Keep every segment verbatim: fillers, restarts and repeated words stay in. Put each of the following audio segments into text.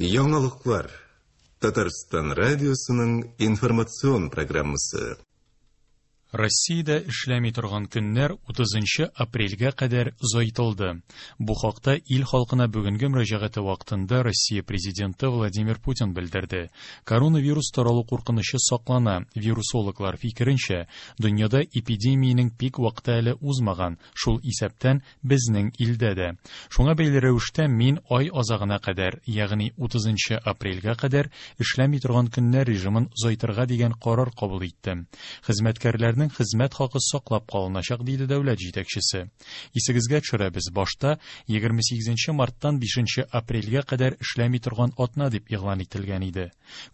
Яңалыклар. Татарстан радиосының информацион программасы. Россиядә эшләми торган көннәр утызынчы апрельгә кадәр озайтылды. Бу хакта ил халкына бүгенге мөрәҗәгате вакытында Россия президенты Владимир Путин белдерде. Коронавирус таралу куркынычы саклана. Вирусологлар фикеренчә, дөньяда эпидемиянең пик вакыты әле узмаган, шул исәптән безнең илдә дә. Шуңа бәйле рәвештә мин ай азагына кадәр, ягъни утызынчы апрельгә кадәр эшләми торган көннәр режимын озайтырга дигән карар кабул иттем. Хезмәткәрләрнең хезмәт хакы саклап калыначак, диде дәүләт җитәкчесе. Исегезгә төшерәбез, башта егерме сигезенче марттан бишенче апрельгә кадәр эшләми торган атна дип игълан ителгән иде.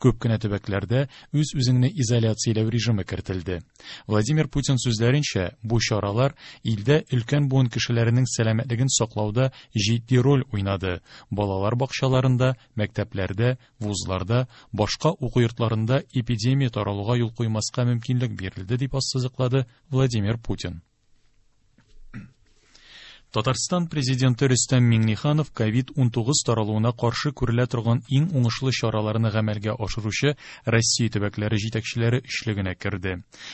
Күп кенә төбәкләрдә үз-үзеңне изоляцияләү режимы кертелде. Владимир Путин сүзләренчә, бу чаралар илдә өлкән буын кешеләренең сәламәтлеген саклауда җитди роль уйнады. Балалар бакчаларында, мәктәпләрдә, вузларда, башка уку йортларында эпидемия таралуга юл куймаска мөмкинлек бирелде, дип ассызыклады Владимир Путин. Татарстан президенты Рөстәм Миңнеханов ковид унтугыз таралуына каршы күрелә торган иң уңышлы чараларны гамәлгә ашыручы Россия төбәкләре җитәкчеләре өчлегенә керде.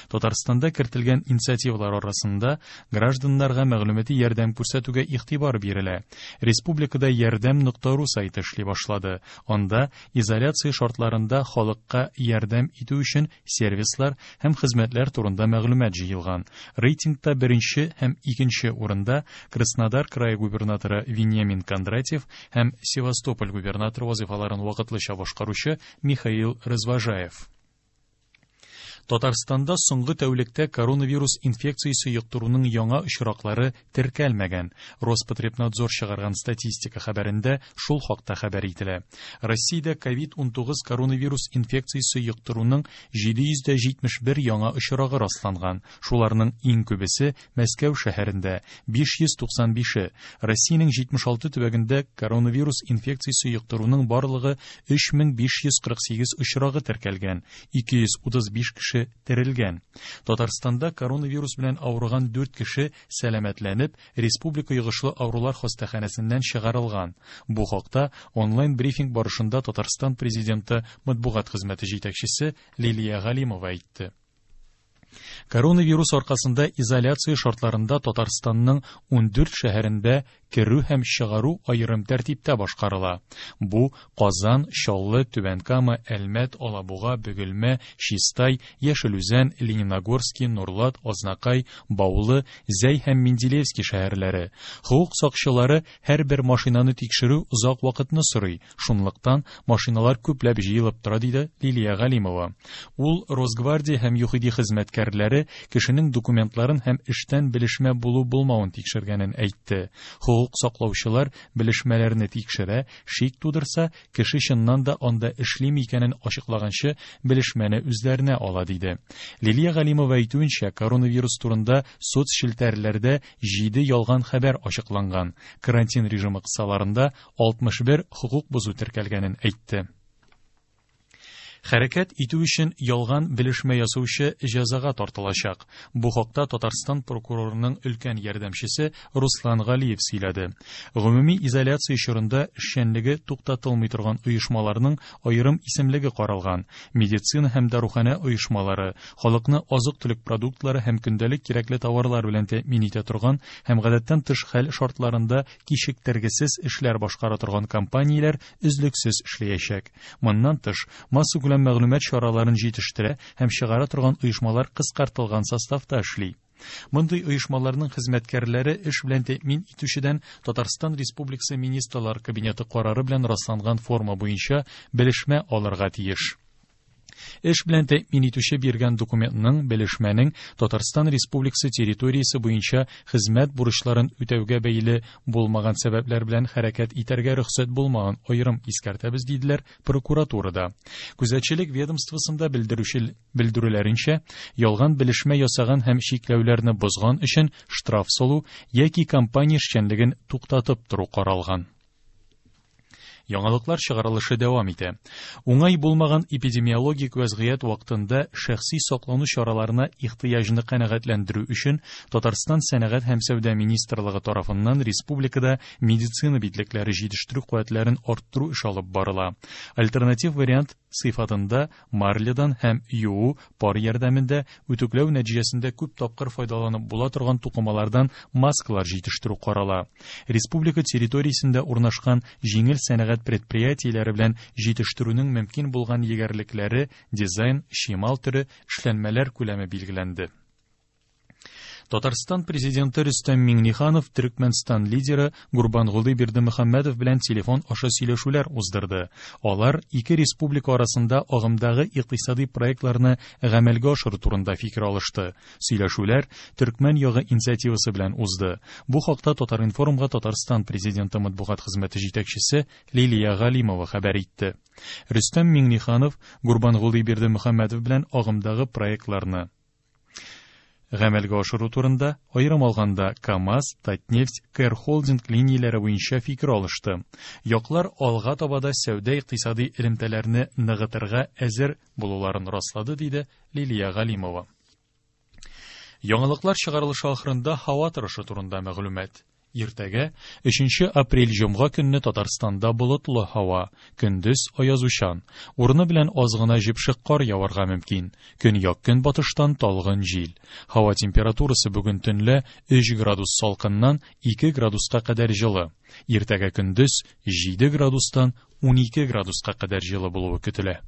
Татарстанда кертелгән инициативалар арасында гражданнарга мәгълүмати ярдәм күрсәтүгә игътибар бирелә. Республикада ярдәм нокта ру сайты эшли башлады. Анда изоляция шартларында халыкка ярдәм итү өчен сервислар һәм хезмәтләр турында мәгълүмат җыелган. Рейтингта беренче һәм икенче урында Краснодар крае губернаторы Вениамин Кондратьев һәм Севастополь губернаторы вазифаларын вакытлыча башкаручы Михаил Развожаев. Татарстанда соңгы тәүлектә коронавирус инфекциясе йоктыруның яңа очраклары теркәлмәгән. Роспотребнадзор чыгарган статистика хәбәрендә шул хакта хәбәр ителә. Россиядә ковид унтугыз коронавирус инфекциясе йоктыруның җиде йөз дә җитмеш бер яңа очрагы расланган. Шуларның иң күбесе Мәскәү шәһәрендә биш йөз туксан бише. Россиянең җитмеш алты төбәгендә коронавирус инфекциясе йоктыруның барлыгы өч мең биш йөз кырык сигез очрагы теркәлгән. Ике йөз утыз биш кеше терелгән. Татарстанда коронавирус белән авырган дүрт кеше сәламәтләнеп, Республика йогышлы авырулар хастаханәсеннән чыгарылган. Бу хакта онлайн брифинг барышында Татарстан президенты матбугат хезмәте җитәкчесе Лилия Галимова әйтте. Коронавирус аркасында изоляция шартларында Татарстанның ундүрт шәһәрендә керү һәм чыгару аерым тәртиптә башкарыла. Бу Казан, Чаллы, Түбән Кама, Әлмәт, Алабуга, Бөгелмә, Чистай, Яшел Үзән, Лениногорский, Нурлат, Азнакай, Баулы, Зәй һәм Менделеевский шәһәрләре. Хокук сакчылары һәрбер машинаны тикшерү озак вакытны сорый. Шунлыктан машиналар күпләп җыелып тора, диде Лилия Галимова. Ул Росгвардия һәм ЮХИДИ хезмәткәрләре кешенең документларын һәм эштән белешмә булу-булмавын тикшергәнен әйтте. Хокук саклаучылар белешмәләрне тикшерә, шик тудырса, кеше чыннан да анда эшлиме икәнен ачыклаганчы белешмәне үзләренә ала, диде. Лилия Галимова әйтүенчә, коронавирус турында соцчелтәрләрдә җиде ялган хәбәр ачыкланган. Карантин режимы кысаларында алтмыш бер хокук бозу теркәлгәнен әйтте. Хәрәкәт итү өчен ялган белешмә ясаучы җәзага тартылачак. Бу хакта Татарстан прокурорының өлкән ярдәмчесе Руслан Галиев сөйләде. Гомуми изоляция чорында эшчәнлеге туктатылмый торган оешмаларның аерым исемлеге каралган. Медицина һәм даруханә оешмалары, халыкны азык-төлек продуктлары һәм көндәлек кирәкле товарлар белән тәэмин итә торган һәм гадәттән тыш хәл шартларында кичектергесез эшләр башкара торган компанияләр өзлексез эшләячәк. Моннан тыш, массакүләм мәгълүмат чараларын җитештерә һәм чыгара торган оешмалар кыскартылган составта эшли. Мондый оешмаларның хезмәткәрләре эш белән тәэмин итүчедән Татарстан Республикасы Министрлар Кабинеты карары белән расланган форма буенча белешмә алырга тиеш. Эш белән тәэмин итүче биргән документның, белешмәнең Татарстан Республикасы территориясе буенча хезмәт бурычларын үтәүгә бәйле булмаган сәбәпләр белән хәрәкәт итәргә рөхсәт булмаган аерым искәртәбез, диделәр прокуратурада. Күзәтчелек ведомствосында белдерүче, белдерүләренчә, ялган белешмә ясаган һәм чикләүләрне бозган өчен штраф салу яки компания эшчәнлеген туктатып тору каралган. Яңалыклар чыгарылышы дәвам итә. Уңай булмаган эпидемиологик вәзгыять вакытында шәхси саклану чараларына ихтыяҗны канәгатьләндерү өчен Татарстан Сәнәгать һәм сәүдә министрлыгы тарафыннан республикада медицина битлекләре җитештерү куәтләрен арттыру эше алып барыла. Альтернатив вариант сыйфатында марлядан һәм юу пар ярдәмендә үтүкләү нәтиҗәсендә күп тапкыр файдаланып була торган тукымалардан маскалар җитештерү карала. Республика территориясендә урнашкан җиңел сәнәгать предприятиеләре белән җитештерүнең мөмкин булган егәрлекләре, дизайн, чимал төре, эшләнмәләр күләме билгеләнде. Татарстан президенты Рөстәм Миңнеханов Төркмәнстан лидеры Гурбангулы Бердымөхәммәдов белән телефон аша сөйләшүләр уздырды. Алар ике республика арасында агымдагы икътисади проектларны гамәлгә ашыру турында фикер алышты. Сөйләшүләр Төркмән ягы инициативасы белән узды. Бу хакта Татар-информга Татарстан президенты матбугат хезмәте җитәкчесе Лилия Галимова хәбәр итте. Рөстәм Миңнеханов Гурбангулы Бердымөхәммәдов белән агымдагы проектларны гамәлгә ашыру турында, аерым алганда КАМАЗ, Татнефть, Кэр Холдинг линияләре буенча фикер алышты. Яклар алга таба да сәүдә икътисади элемтәләрне ныгытырга әзер булуларын раслады, диде Лилия Галимова. Яңалыклар чыгарылышы ахырында һава торышы турында мәгълүмат. Иртәгә өченче апрель җомга көнне Татарстанда болытлы һава, көндез аязучан, урыны белән аз гына җепшек кар яварга мөмкин. Көньяк көнбатыштан талгын җил. Һава температурасы бүген төнлә өч градус салкыннан ике градуска кадәр җылы. Иртәгә көндез җиде градустан унике градуска кадәр җылы булуы көтелә.